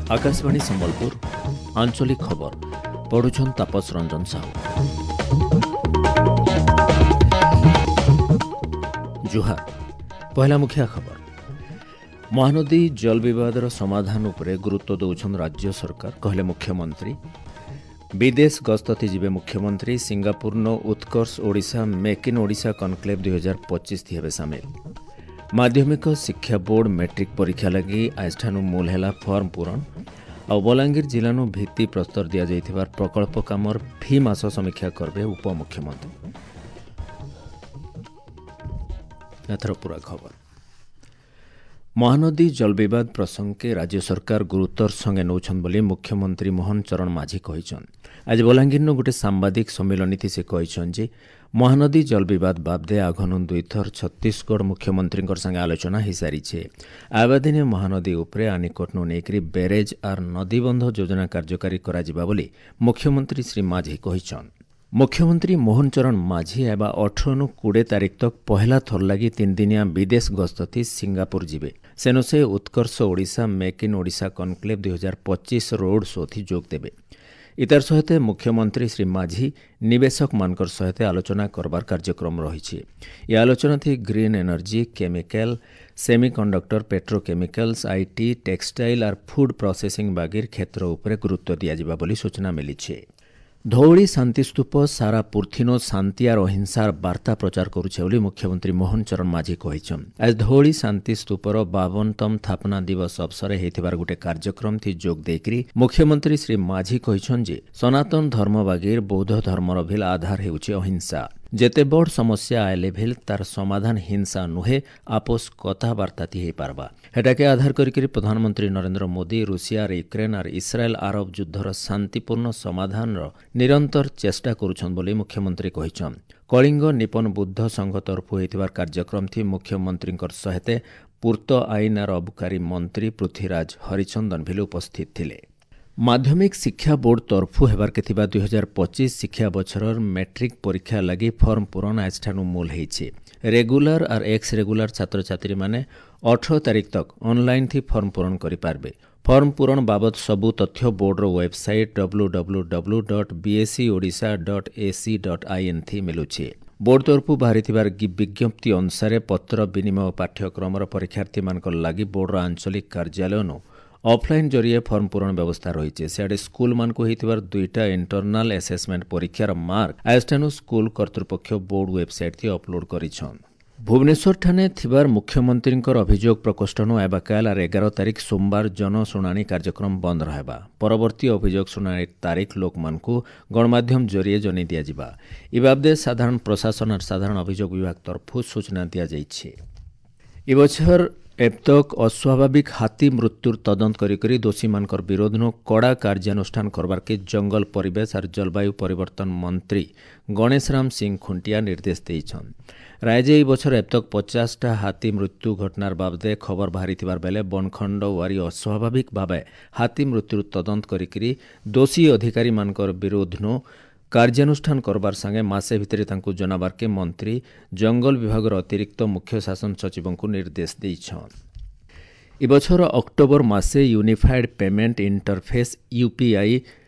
ଆକାଶବାଣୀ ସମ୍ବଲପୁର, ଆଞ୍ଚଳିକ ଖବର ପଢୁଛନ୍ ତାପସ ରଞ୍ଜନ ସାହୁ। ଜୁହାର। ପହିଲା ମୁଖିଆ ଖବର। ମହାନଦୀ ଜଳ ବିବାଦର ସମାଧାନ ଉପରେ ଗୁରୁତ୍ୱ ଦେଉଛନ୍ତି ରାଜ୍ୟ ସରକାର, କହିଲେ ମୁଖ୍ୟମନ୍ତ୍ରୀ। ବିଦେଶ ଗସ୍ତତି ଯିବେ ମୁଖ୍ୟମନ୍ତ୍ରୀ। ସିଙ୍ଗାପୁରନ Utkarsh Odisha make in Odisha conclave 2025 ହେବେ ସାମିଲ। ମାଧ୍ୟମିକ ଶିକ୍ଷା ବୋର୍ଡ ମେଟ୍ରିକ୍ ପରୀକ୍ଷା ଲାଗି ଆଜିଠାନୁ ମୂଲ ହେଲା ଫର୍ମ ପୂରଣ। ଆଉ ବଲାଙ୍ଗୀର ଜିଲ୍ଲାନୁ ଭିତ୍ତି ପ୍ରସ୍ତର ଦିଆଯାଇଥିବା ପ୍ରକଳ୍ପ କାମର ଫି ମାସ ସମୀକ୍ଷା କରିବେ ଉପମୁଖ୍ୟମନ୍ତ୍ରୀ। ଏଥର ପୁରା ଖବର। ମହାନଦୀ ଜଳବିବାଦ ପ୍ରସଙ୍ଗକେ ରାଜ୍ୟ ସରକାର ଗୁରୁତ୍ୱର ସଙ୍ଗେ ନେଉଛନ୍ତି ବୋଲି ମୁଖ୍ୟମନ୍ତ୍ରୀ ମୋହନ ଚରଣ ମାଝୀ କହିଛନ୍ତି। ଆଜି ବଲାଙ୍ଗୀରନୁ ଗୋଟେ ସାମ୍ବାଦିକ ସମ୍ମିଳନୀଥି ସେ କହିଛନ୍ତି ଯେ ମହାନଦୀ ଜଳବିବାଦ ବାବଦେ ଆଘନୁ ଦୁଇଥର ଛତିଶଗଡ଼ ମୁଖ୍ୟମନ୍ତ୍ରୀଙ୍କର ସାଙ୍ଗେ ଆଲୋଚନା ହୋଇସାରିଛେ। ଆବାଦିନେ ମହାନଦୀ ଉପରେ ଆନିକଟନୁ ନେଇକରି ବ୍ୟାରେଜ୍ ଆର୍ ନଦୀବନ୍ଧ ଯୋଜନା କାର୍ଯ୍ୟକାରୀ କରାଯିବା ବୋଲି ମୁଖ୍ୟମନ୍ତ୍ରୀ ଶ୍ରୀ ମାଝୀ କହିଛନ୍ତି। ମୁଖ୍ୟମନ୍ତ୍ରୀ ମୋହନ ଚରଣ ମାଝୀ ଏବା 18ନୁ 20 ତାରିଖ ତକ୍ ପହେଲା ଥର ଲାଗି 3 ଦିନିଆ ବିଦେଶ ଗସ୍ତଥି ସିଙ୍ଗାପୁର ଯିବେ। ସେନୁ ସେ Utkarsh Odisha make in Odisha conclave 2025 road ଶୋଥି ଯୋଗ ଦେବେ। ଇତାର ସହିତ ମୁଖ୍ୟମନ୍ତ୍ରୀ ଶ୍ରୀ ମାଝୀ ନିବେଶକମାନଙ୍କର ସହିତ ଆଲୋଚନା କରବାର କାର୍ଯ୍ୟକ୍ରମ ରହିଛି। ଏ ଆଲୋଚନା ଥି green energy, chemical, semiconductor, petrochemicals, IT, textile R food processing ବାଗିର କ୍ଷେତ୍ର ଉପରେ ଗୁରୁତ୍ୱ ଦିଆଯିବା ବୋଲି ସୂଚନା ମିଳିଛି। ଧଉଳି ଶାନ୍ତିସ୍ତୂପ ସାରା ପୃଥିନୋ ଶାନ୍ତି ଆର୍ ଅହିଂସାର ବାର୍ତ୍ତା ପ୍ରଚାର କରୁଛେ ବୋଲି ମୁଖ୍ୟମନ୍ତ୍ରୀ ମୋହନ ଚରଣ ମାଝୀ କହିଛନ୍ତି। ଆଜି ଧଉଳି ଶାନ୍ତିସ୍ତୂପର 52ତମ ସ୍ଥାପନା ଦିବସ ଅବସରରେ ହେଇଥିବାର ଗୋଟେ କାର୍ଯ୍ୟକ୍ରମଥି ଯୋଗ ଦେଇକରି ମୁଖ୍ୟମନ୍ତ୍ରୀ ଶ୍ରୀ ମାଝୀ କହିଛନ୍ତି ଯେ ସନାତନ ଧର୍ମ ବାଗିର ବୌଦ୍ଧ ଧର୍ମର ଭିଲ ଆଧାର ହେଉଛି ଅହିଂସା। ଯେତେ ବଡ଼ ସମସ୍ୟା ଆଇଲେ ଭିଲ ତାର ସମାଧାନ ହିଂସା ନୁହେଁ, ଆପୋସ କଥାବାର୍ତ୍ତାଥି ହେଇପାରବା। ହେଟାକେ ଆଧାର କରିକରି ପ୍ରଧାନମନ୍ତ୍ରୀ ନରେନ୍ଦ୍ର ମୋଦି ରୁଷିଆ ଆର୍ ୟୁକ୍ରେନ୍ ଆର୍ ଇସ୍ରାଏଲ ଆରବ ଯୁଦ୍ଧର ଶାନ୍ତିପୂର୍ଣ୍ଣ ସମାଧାନର ନିରନ୍ତର ଚେଷ୍ଟା କରୁଛନ୍ ବୋଲି ମୁଖ୍ୟମନ୍ତ୍ରୀ କହିଛନ୍। କଳିଙ୍ଗ ନିପନ ବୁଦ୍ଧ ସଂଘ ତରଫୁ ହେଇଥିବାର କାର୍ଯ୍ୟକ୍ରମଥି ମୁଖ୍ୟମନ୍ତ୍ରୀଙ୍କର ସହିତ ପୂର୍ତ୍ତ ଆଇନ ଆର୍ ଅବକାରୀ ମନ୍ତ୍ରୀ ପୃଥ୍ୱୀରାଜ ହରିଚନ୍ଦନ ଭିଲ ଉପସ୍ଥିତ ଥିଲେ। ମାଧ୍ୟମିକ ଶିକ୍ଷା ବୋର୍ଡ ତରଫୁ ହେବାର୍କେ ଥିବା 2025 ଶିକ୍ଷା ବଛରର ମେଟ୍ରିକ୍ ପରୀକ୍ଷା ଲାଗି ଫର୍ମ ପୂରଣ ଆଜିଠାନୁ ମୂଲ ହେଇଛି। ରେଗୁଲାର ଆର୍ ଏକ୍ସ ରେଗୁଲାର ଛାତ୍ରଛାତ୍ରୀମାନେ 18 ତାରିଖ ତକ୍ ଅନଲାଇନ୍ ଥି ଫର୍ମ ପୂରଣ କରିପାରିବେ। ଫର୍ମ ପୂରଣ ବାବଦ ସବୁ ତଥ୍ୟ ବୋର୍ଡର ୱେବସାଇଟ୍ www.bseodisha.ac.in ଥି ମିଲୁଛି। ବୋର୍ଡ ତରଫୁ ବାହାରିଥିବାର ବିଜ୍ଞପ୍ତି ଅନୁସାରେ ପତ୍ର ବିନିମୟ ପାଠ୍ୟକ୍ରମର ପରୀକ୍ଷାର୍ଥୀମାନଙ୍କ ଲାଗି ବୋର୍ଡର ଆଞ୍ଚଳିକ କାର୍ଯ୍ୟାଳୟନୁ ଅଫଲାଇନ୍ ଜରିଏ ଫର୍ମ ପୂରଣ ବ୍ୟବସ୍ଥା ରହିଛି। ସିଆଡ଼େ ସ୍କୁଲମାନଙ୍କୁ ହେଇଥିବାର 2ଟା ଇଣ୍ଟରନାଲ ଆସେସମେଣ୍ଟ ପରୀକ୍ଷାର ମାର୍କ ଆଜିଠାନୁ ସ୍କୁଲ କର୍ତ୍ତୃପକ୍ଷ ବୋର୍ଡ ୱେବସାଇଟ୍ ଥି ଅପଲୋଡ୍ କରିଛନ୍। ଭୁବନେଶ୍ୱରଠାନେ ଥିବାର ମୁଖ୍ୟମନ୍ତ୍ରୀଙ୍କର ଅଭିଯୋଗ ପ୍ରକୋଷ୍ଠନୁ ଆବାକାଲ ଆର୍ 11 ତାରିଖ ସୋମବାର ଜନଶୁଣାଣି କାର୍ଯ୍ୟକ୍ରମ ବନ୍ଦ ରହିବା। ପରବର୍ତ୍ତୀ ଅଭିଯୋଗ ଶୁଣାଣି ତାରିଖ ଲୋକମାନଙ୍କୁ ଗଣମାଧ୍ୟମ ଜରିଏ ଜଣାଇ ଦିଆଯିବା। ଏ ବାବଦେ ସାଧାରଣ ପ୍ରଶାସନ ଆର୍ ସାଧାରଣ ଅଭିଯୋଗ ବିଭାଗ ତରଫରୁ ସୂଚନା ଦିଆଯାଇଛି। ଏ ବଛର ଏବତକ ଅସ୍ୱାଭାବିକ ହାତୀ ମୃତ୍ୟୁର ତଦନ୍ତ କରିକରି ଦୋଷୀମାନଙ୍କର ବିରୋଧନୁ କଡ଼ା କାର୍ଯ୍ୟାନୁଷ୍ଠାନ କରବାର୍କେ ଜଙ୍ଗଲ ପରିବେଶ ଆର୍ ଜଳବାୟୁ ପରିବର୍ତ୍ତନ ମନ୍ତ୍ରୀ ଗଣେଶରାମ ସିଂ ଖୁଣ୍ଟିଆ ନିର୍ଦ୍ଦେଶ ଦେଇଛନ୍। ରାଜ୍ୟ ଏହି ବଛର ଏବତକ 50ଟା ହାତୀ ମୃତ୍ୟୁ ଘଟଣାର ବାବଦେ ଖବର ବାହାରିଥିବାର ବେଲେ ବନଖଣ୍ଡ ୱାରି ଅସ୍ୱାଭାବିକ ଭାବେ ହାତୀ ମୃତ୍ୟୁର ତଦନ୍ତ କରିକରି ଦୋଷୀ ଅଧିକାରୀମାନଙ୍କର ବିରୋଧନୁ କାର୍ଯ୍ୟାନୁଷ୍ଠାନ କରବାର ସାଙ୍ଗେ ମାସେ ଭିତରେ ତାଙ୍କୁ ଜଣାବାର୍କେ ମନ୍ତ୍ରୀ ଜଙ୍ଗଲ ବିଭାଗର ଅତିରିକ୍ତ ମୁଖ୍ୟ ଶାସନ ସଚିବଙ୍କୁ ନିର୍ଦ୍ଦେଶ ଦେଇଛନ୍। ଏ ବଛର ଅକ୍ଟୋବର ମାସେ ୟୁନିଫାଏଡ୍ ପେମେଣ୍ଟ ଇଣ୍ଟରଫେସ୍ ୟୁପିଆଇ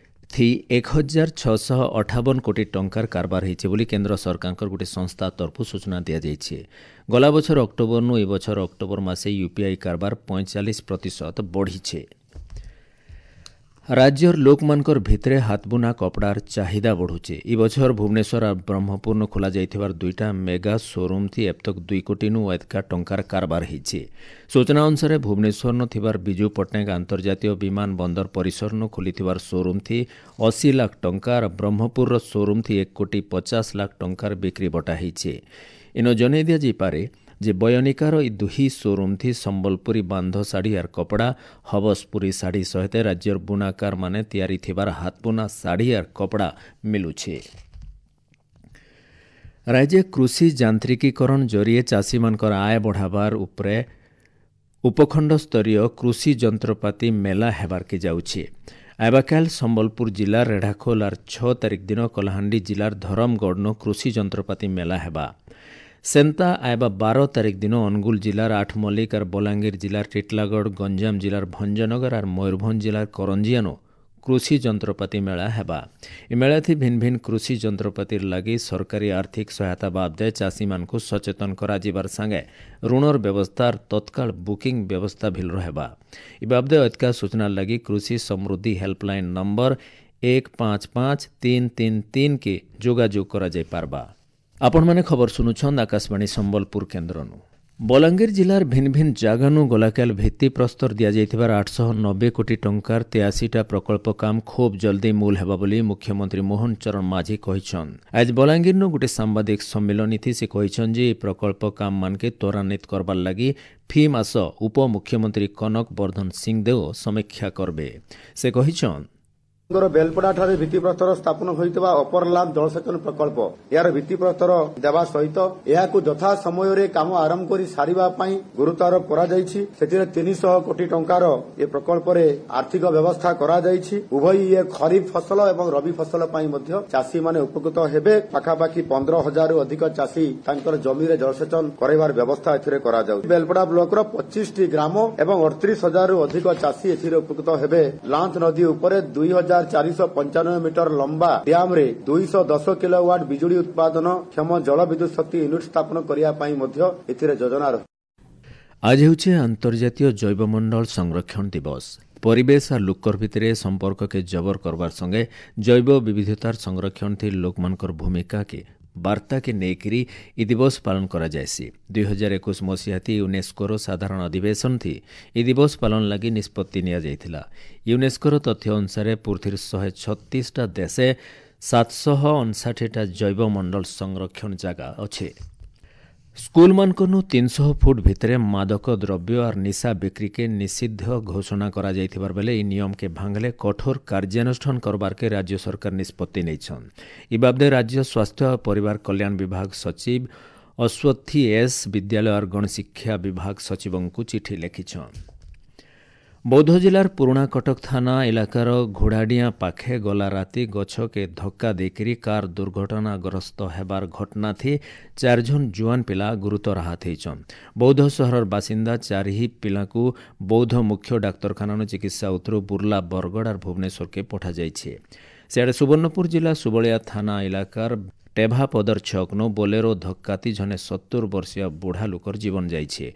ଥି 1658 କୋଟି ଟଙ୍କାର କାରବାର ହେଇଛି ବୋଲି କେନ୍ଦ୍ର ସରକାରଙ୍କର ଗୋଟେ ସଂସ୍ଥା ତରଫରୁ ସୂଚନା ଦିଆଯାଇଛି। ଗଲା ବଛର ଅକ୍ଟୋବରନୁ ଏ ବଛର ଅକ୍ଟୋବର ମାସେ ୟୁପିଆଇ କାରବାର 45% ବଢ଼ିছে। ରାଜ୍ୟର ଲୋକମାନଙ୍କର ଭିତରେ ହାତବୁନା କପଡ଼ାର ଚାହିଦା ବଢ଼ୁଛି। ଏ ବଛର ଭୁବନେଶ୍ୱର ଆର୍ ବ୍ରହ୍ମପୁରନୁ ଖୋଲାଯାଇଥିବାର 2ଟା ମେଗା ସୋରୁମ୍ ଥି ଏବତକ 2 କୋଟିନୁ ଅଧିକା ଟଙ୍କାର କାରବାର ହେଇଛି। ସୂଚନା ଅନୁସାରେ ଭୁବନେଶ୍ୱରନୁ ଥିବାର ବିଜୁ ପଟ୍ଟନାୟକ ଆନ୍ତର୍ଜାତୀୟ ବିମାନ ବନ୍ଦର ପରିସରନୁ ଖୋଲିଥିବାର ସୋରୁମ୍ ଥି 80 ଲାଖ ଟଙ୍କା ଆର୍ ବ୍ରହ୍ମପୁରର ସୋରୁମ୍ ଥି 1 କୋଟି 50 ଲାଖ ଟଙ୍କାର ବିକ୍ରି ବଟା ହେଇଛି। ଇନ ଜଣାଇ ଦିଆଯାଇପାରେ ଯେ ବୟନିକାର ଇ ଦୁହି ସୋରୁମ୍ ଥି ସମ୍ବଲପୁରୀ ବାନ୍ଧ ଶାଢ଼ୀ ଆର୍ କପଡ଼ା, ହବସପୁରୀ ଶାଢ଼ୀ ସହିତ ରାଜ୍ୟର ବୁଣାକାରମାନେ ତିଆରି ଥିବାର ହାତବୁନା ଶାଢ଼ୀ ଆର୍ କପଡ଼ା ମିଲୁଛି। ରାଜ୍ୟ କୃଷି ଯାନ୍ତ୍ରିକୀକରଣ ଜରିଏ ଚାଷୀମାନଙ୍କର ଆୟ ବଢ଼ାବାର ଉପରେ ଉପଖଣ୍ଡ ସ୍ତରୀୟ କୃଷି ଯନ୍ତ୍ରପାତି ମେଲା ହେବାର୍କେ ଯାଉଛି। ଆବାକାଲ ସମ୍ବଲପୁର ଜିଲ୍ଲା ରେଢ଼ାଖୋଲ ଆର୍ 6 ତାରିଖ ଦିନ କଳାହାଣ୍ଡି ଜିଲ୍ଲାର ଧରମଗଡ଼ନୁ କୃଷି ଯନ୍ତ୍ରପାତି ମେଲା ହେବା। ସେନ୍ତା ଆଇବା 12 ତାରିଖ ଦିନ ଅନୁଗୁଳ ଜିଲ୍ଲାର ଆଠମଲ୍ଲିକ ଆର୍ ବଲାଙ୍ଗୀର ଜିଲ୍ଲାର ଟିଟଲାଗଡ଼, ଗଞ୍ଜାମ ଜିଲ୍ଲାର ଭଞ୍ଜନଗର ଆର୍ ମୟୂରଭଞ୍ଜ ଜିଲ୍ଲାର କରଞ୍ଜିଆନୁ କୃଷି ଯନ୍ତ୍ରପାତି ମେଳା ହେବା। ଏ ମେଳାଥି ଭିନ୍ନ ଭିନ୍ନ କୃଷି ଯନ୍ତ୍ରପାତିର ଲାଗି ସରକାରୀ ଆର୍ଥିକ ସହାୟତା ବାବଦେ ଚାଷୀମାନଙ୍କୁ ସଚେତନ କରାଯିବାର ସାଙ୍ଗେ ଋଣର ବ୍ୟବସ୍ଥା ତତ୍କାଳ ବୁକିଂ ବ୍ୟବସ୍ଥା ଭିଲ ହେବା। ଏ ବାବଦେ ଅଧିକା ସୂଚନା ଲାଗି କୃଷି ସମୃଦ୍ଧି ହେଲ୍ପଲାଇନ୍ ନମ୍ବର 155333 କେ ଯୋଗାଯୋଗ କରାଯାଇ ପାରବା। ଆପଣମାନେ ଖବର ଶୁଣୁଛନ୍ ଆକାଶବାଣୀ ସମ୍ବଲପୁର କେନ୍ଦ୍ରନୁ। ବଲାଙ୍ଗୀର ଜିଲ୍ଲାର ଭିନ୍ନ ଭିନ୍ନ ଜାଗାନୁ ଗଲାକାଲ ଭିତ୍ତିପ୍ରସ୍ତର ଦିଆଯାଇଥିବାର 890 କୋଟି ଟଙ୍କାର 83ଟା ପ୍ରକଳ୍ପ କାମ ଖୁବ୍ ଜଲ୍ଦି ମୂଲ ହେବା ବୋଲି ମୁଖ୍ୟମନ୍ତ୍ରୀ ମୋହନ ଚରଣ ମାଝୀ କହିଛନ୍। ଆଜି ବଲାଙ୍ଗୀରନୁ ଗୋଟେ ସାମ୍ବାଦିକ ସମ୍ମିଳନୀଥି ସେ କହିଛନ୍ ଯେ ଏହି ପ୍ରକଳ୍ପ କାମମାନକେ ତ୍ୱରାନ୍ୱିତ କରବାର୍ ଲାଗି ଫି ମାସ ଉପମୁଖ୍ୟମନ୍ତ୍ରୀ କନକ ବର୍ଦ୍ଧନ ସିଂଦେଓ ସମୀକ୍ଷା କରବେ। ସେ କହିଛନ୍, ବେଲପଡ଼ା ଠାରେ ଭିତ୍ତିପ୍ରସ୍ତର ସ୍ଥାପନ ହୋଇଥିବା ଅପରଲାମ ଜଳସେଚନ ପ୍ରକଳ୍ପ, ଏହାର ଭିତ୍ତିପ୍ରସ୍ତର ଦେବା ସହିତ ଏହାକୁ ଯଥା ସମୟରେ କାମ ଆରମ୍ଭ କରି ସାରିବା ପାଇଁ ଗୁରୁତ୍ୱାରୋପ କରାଯାଇଛି। ସେଥିରେ 300 କୋଟି ଟଙ୍କାର ଏ ପ୍ରକଳ୍ପରେ ଆର୍ଥିକ ବ୍ୟବସ୍ଥା କରାଯାଇଛି। ଉଭୟ ଇଏ ଖରିଫ ଫସଲ ଏବଂ ରବି ଫସଲ ପାଇଁ ମଧ୍ୟ ଚାଷୀମାନେ ଉପକୃତ ହେବେ। ପାଖାପାଖି 15,000ରୁ ଅଧିକ ଚାଷୀ ତାଙ୍କର ଜମିରେ ଜଳସେଚନ କରାଇବାର ବ୍ୟବସ୍ଥା ଏଥିରେ କରାଯାଉଛି। ବେଲପଡ଼ା ବ୍ଲକର 25ଟି ଗ୍ରାମ ଏବଂ 38,000ରୁ ଅଧିକ ଚାଷୀ ଏଥିରେ ଉପକୃତ ହେବେ। ଲାଞ୍ଚ ନଦୀ ଉପରେ 2495 ମିଟର ଲମ୍ବା ଡ୍ୟାମରେ 210 କିଲୋୱାଟ ବିଜୁଳି ଉତ୍ପାଦନ କ୍ଷମ ଜଳ ବିଦ୍ୟୁତ ଶକ୍ତି ୟୁନିଟ୍ ସ୍ଥାପନ କରିବା ପାଇଁ ମଧ୍ୟ ଏଥିରେ ଯୋଜନା ରହିଛି। ଆଜି ହେଉଛି ଆନ୍ତର୍ଜାତୀୟ ଜୈବମଣ୍ଡଳ ସଂରକ୍ଷଣ ଦିବସ। ପରିବେଶ ଆର୍ ଲୋକର ଭିତରେ ସମ୍ପର୍କକେ ଜବର କରବାର ସଙ୍ଗେ ଜୈବ ବିବିଧତାର ସଂରକ୍ଷଣ ଥି ଲୋକମାନଙ୍କର ଭୂମିକାକେ ବାର୍ତ୍ତାକେ ନେଇକରି ଇ ଦିବସ ପାଳନ କରାଯାଏସି। 2021 ମସିହାତି ୟୁନେସ୍କୋର ସାଧାରଣ ଅଧିବେଶନ ଥି ଇ ଦିବସ ପାଳନ ଲାଗି ନିଷ୍ପତ୍ତି ନିଆଯାଇଥିଲା। ୟୁନେସ୍କୋର ତଥ୍ୟ ଅନୁସାରେ ପୃଥିବୀର 136ଟା ଦେଶେ 759ଟା ଜୈବମଣ୍ଡଳ ସଂରକ୍ଷଣ ଜାଗା ଅଛେ। ସ୍କୁଲମାନଙ୍କନୁ 300 ଫୁଟ ଭିତରେ ମାଦକ ଦ୍ରବ୍ୟ ଆର୍ ନିଶା ବିକ୍ରିକେ ନିଷିଦ୍ଧ ଘୋଷଣା କରାଯାଇଥିବାର ବେଲେ ଏହି ନିୟମକେ ଭାଙ୍ଗଲେ କଠୋର କାର୍ଯ୍ୟାନୁଷ୍ଠାନ କରବାରକେ ରାଜ୍ୟ ସରକାର ନିଷ୍ପତ୍ତି ନେଇଛନ୍। ଇ ବାବଦେ ରାଜ୍ୟ ସ୍ୱାସ୍ଥ୍ୟ ଓ ପରିବାର କଲ୍ୟାଣ ବିଭାଗ ସଚିବ ଅଶ୍ୱଥୀ ଏସ୍ ବିଦ୍ୟାଳୟ ଆର୍ ଗଣଶିକ୍ଷା ବିଭାଗ ସଚିବଙ୍କୁ ଚିଠି ଲେଖିଛନ୍। ବୌଦ୍ଧ ଜିଲ୍ଲାର ପୁରୁଣା କଟକ ଥାନା ଇଲାକାର ଘୋଡ଼ାଡିଆଁ ପାଖେ ଗଲା ରାତି ଗଛକେ ଧକ୍କା ଦେଇକରି କାର ଦୁର୍ଘଟଣାଗ୍ରସ୍ତ ହେବାର ଘଟଣାଥି 4 ଜଣ ଜୁଆନ ପିଲା ଗୁରୁତର ଆହତ ହେଇଛନ୍। ବୌଦ୍ଧ ସହରର ବାସିନ୍ଦା 4 ପିଲାକୁ ବୌଦ୍ଧ ମୁଖ୍ୟ ଡାକ୍ତରଖାନାନୁ ଚିକିତ୍ସା ଉତ୍ତରୁ ବୁର୍ଲା, ବରଗଡ଼ ଆର୍ ଭୁବନେଶ୍ୱରକେ ପଠାଯାଇଛି। ସିଆଡ଼େ ସୁବର୍ଣ୍ଣପୁର ଜିଲ୍ଲା ସୁବଳିଆ ଥାନା ଇଲାକାର ଟେଭାପଦର ଛକନୁ ବୋଲେରୋ ଧକ୍କାତି ଜଣେ 70 ବର୍ଷୀୟ ବୁଢ଼ା ଲୋକର ଜୀବନ ଯାଇଛି।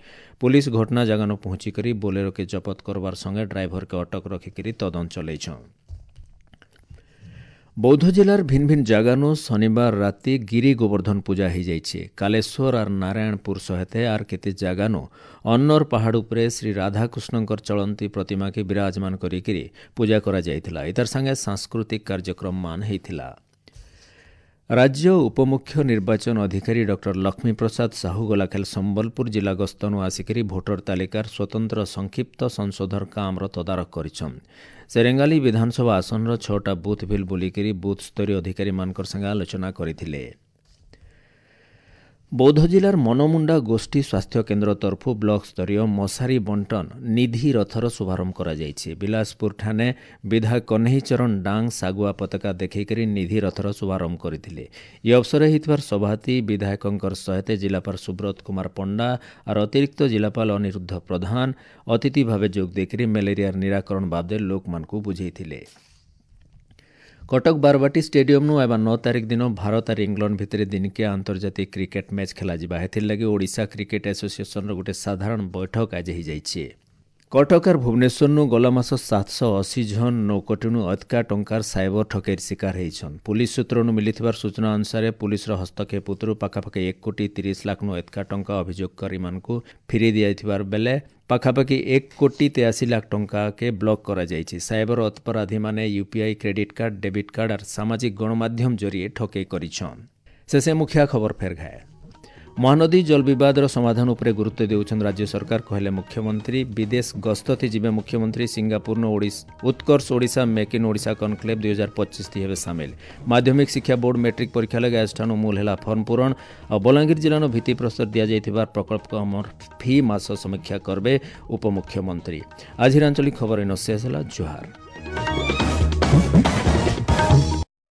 ପୁଲିସ ଘଟଣା ଜାଗାନୁ ପହଞ୍ଚିକରି ବୋଲେରୋକେ ଜବତ କରବାର ସଙ୍ଗେ ଡ୍ରାଇଭରକେ ଅଟକ ରଖିକରି ତଦନ୍ତ ଚଲେଇଛନ୍। ବୌଦ୍ଧ ଜିଲ୍ଲାର ଭିନ୍ନ ଭିନ୍ନ ଜାଗାନୁ ଶନିବାର ରାତି ଗିରି ଗୋବର୍ଦ୍ଧନ ପୂଜା ହେଇଯାଇଛି। କାଲେଶ୍ୱର ଆର୍ ନାରାୟଣପୁର ସହିତ ଆର୍ କେତେ ଜାଗାନୁ ଅନ୍ନର ପାହାଡ଼ ଉପରେ ଶ୍ରୀ ରାଧାକୃଷ୍ଣଙ୍କର ଚଳନ୍ତି ପ୍ରତିମାକେ ବିରାଜମାନ କରିକିରି ପୂଜା କରାଯାଇଥିଲା। ଏତାର ସାଙ୍ଗେ ସାଂସ୍କୃତିକ କାର୍ଯ୍ୟକ୍ରମ ମାନ ହେଇଥିଲା। ରାଜ୍ୟ ଉପମୁଖ୍ୟ ନିର୍ବାଚନ ଅଧିକାରୀ ଡକ୍ଟର ଲକ୍ଷ୍ମୀପ୍ରସାଦ ସାହୁ ଗଲାକାଲି ସମ୍ବଲପୁର ଜିଲ୍ଲା ଗସ୍ତନୁ ଆସିକରି ଭୋଟର ତାଲିକାର ସ୍ୱତନ୍ତ୍ର ସଂକ୍ଷିପ୍ତ ସଂଶୋଧନ କାମର ତଦାରଖ କରିଛନ୍। ସେ ରେଙ୍ଗାଲି ବିଧାନସଭା ଆସନର 6ଟା ବୁଥ୍ ଭିଲ୍ ବୁଲିକରି ବୁଥ୍ ସ୍ତରୀୟ ଅଧିକାରୀମାନଙ୍କର ସାଙ୍ଗେ ଆଲୋଚନା କରିଥିଲେ। ବୌଦ୍ଧ ଜିଲ୍ଲାର ମନମୁଣ୍ଡା ଗୋଷ୍ଠୀ ସ୍ୱାସ୍ଥ୍ୟ କେନ୍ଦ୍ର ତରଫରୁ ବ୍ଲକ ସ୍ତରୀୟ ମଶାରୀ ବଣ୍ଟନ ନିଧି ରଥର ଶୁଭାରମ୍ଭ କରାଯାଇଛି। ବିଲାସପୁର ଠାନେ ବିଧାୟକ କହ୍ନେଇ ଚରଣ ଡାଙ୍ଗ ଶାଗୁଆ ପତାକା ଦେଖେଇକରି ନିଧି ରଥର ଶୁଭାରମ୍ଭ କରିଥିଲେ। ଏ ଅବସରରେ ହେଇଥିବାର ସଭାତି ବିଧାୟକଙ୍କର ସହିତ ଜିଲ୍ଲାପାଳ ସୁବ୍ରତ କୁମାର ପଣ୍ଡା ଆର୍ ଅତିରିକ୍ତ ଜିଲ୍ଲାପାଳ ଅନିରୁଦ୍ଧ ପ୍ରଧାନ ଅତିଥି ଭାବେ ଯୋଗ ଦେଇକରି ମ୍ୟାଲେରିଆର ନିରାକରଣ ବାବଦେ ଲୋକମାନଙ୍କୁ ବୁଝେଇଥିଲେ। କଟକ ବାରବାଟୀ ଷ୍ଟାଡିୟମନୁ ଆଇବା 9 ତାରିଖ ଦିନ ଭାରତ ଆର୍ ଇଂଲଣ୍ଡ ଭିତରେ ଦିନିକିଆ ଆନ୍ତର୍ଜାତିକ କ୍ରିକେଟ ମ୍ୟାଚ୍ ଖେଳାଯିବା। ଏଥିର୍ଲାଗି ଓଡ଼ିଶା କ୍ରିକେଟ ଆସୋସିଏସନର ଗୋଟେ ସାଧାରଣ ବୈଠକ ଆଜି ହେଇଯାଇଛି। କଟକ ଆର୍ ଭୁବନେଶ୍ୱରନୁ ଗଲା ମାସ 780 ଜଣ 9 କୋଟିନୁ ଅଧିକା ଟଙ୍କାର ସାଇବର ଠକେଇର ଶିକାର ହେଇଛନ୍। ପୁଲିସ ସୂତ୍ରନୁ ମିଳିଥିବାର ସୂଚନା ଅନୁସାରେ ପୁଲିସର ହସ୍ତକ୍ଷେପ ଉତ୍ତରୁ ପାଖାପାଖି 1 କୋଟି 30 ଲାଖନୁ ଅଧିକା ଟଙ୍କା ଅଭିଯୋଗକାରୀମାନଙ୍କୁ ଫେରାଇ ଦିଆଯାଇଥିବାର ବେଲେ ପାଖାପାଖି 1 କୋଟି 83 ଲାଖ ଟଙ୍କାକେ ବ୍ଲକ୍ କରାଯାଇଛି। ସାଇବର ଅପରାଧୀମାନେ UPI, credit card, debit card ଆର୍ ସାମାଜିକ ଗଣମାଧ୍ୟମ ଜରିଏ ଠକେଇ କରିଛନ୍। ଶେଷେ ମୁଖିଆ ଖବର ଫେର ଘାଏ। ମହାନଦୀ ଜଳ ବିବାଦର ସମାଧାନ ଉପରେ ଗୁରୁତ୍ୱ ଦେଉଛନ୍ତି ରାଜ୍ୟ ସରକାର, କହିଲେ ମୁଖ୍ୟମନ୍ତ୍ରୀ। ବିଦେଶ ଗସ୍ତଥି ଯିବେ ମୁଖ୍ୟମନ୍ତ୍ରୀ। ସିଙ୍ଗାପୁରନୁ Utkarsh Odisha make in Odisha conclave 2025 ହେବେ ସାମିଲ। ମାଧ୍ୟମିକ ଶିକ୍ଷା ବୋର୍ଡ ମେଟ୍ରିକ ପରୀକ୍ଷା ଲାଗି ଆଜିଠାରୁ ମୂଲ ହେଲା ଫର୍ମ ପୂରଣ। ଆଉ ବଲାଙ୍ଗୀର ଜିଲ୍ଲାର ଭିତ୍ତିପ୍ରସ୍ତର ଦିଆଯାଇଥିବା ପ୍ରକଳ୍ପ କାମର ଫି ମାସ ସମୀକ୍ଷା କରିବେ ଉପମୁଖ୍ୟମନ୍ତ୍ରୀ। ଆଜିର ଆଞ୍ଚଳିକ ଖବର ଏନ ଶେଷ ହେଲା। ଜୁହାର।